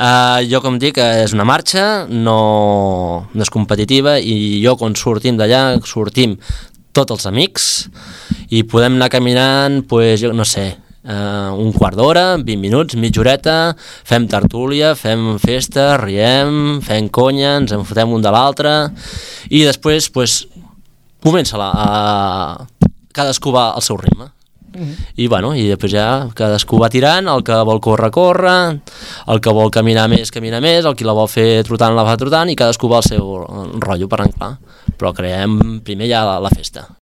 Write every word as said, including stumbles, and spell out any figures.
Uh, jo, com dic, és una marxa, no, no és competitiva, i jo, quan sortim d'allà, sortim tots els amics i podem anar caminant, pues, jo no sé, Uh, un quart d'hora, vint minuts, mitja horeta, fem tertúlia, fem festa, riem, fem conya, ens en fotem un de l'altre, i després pues, comença la, a... cadascú va al seu ritme. Uh-huh. I bueno, i després ja cadascú va tirant, el que vol córrer, corre, el que vol caminar més, camina més, el qui la vol fer trotant, la fa trotant, i cadascú va al seu rotllo per anar clar. Però creem primer ja la, la festa.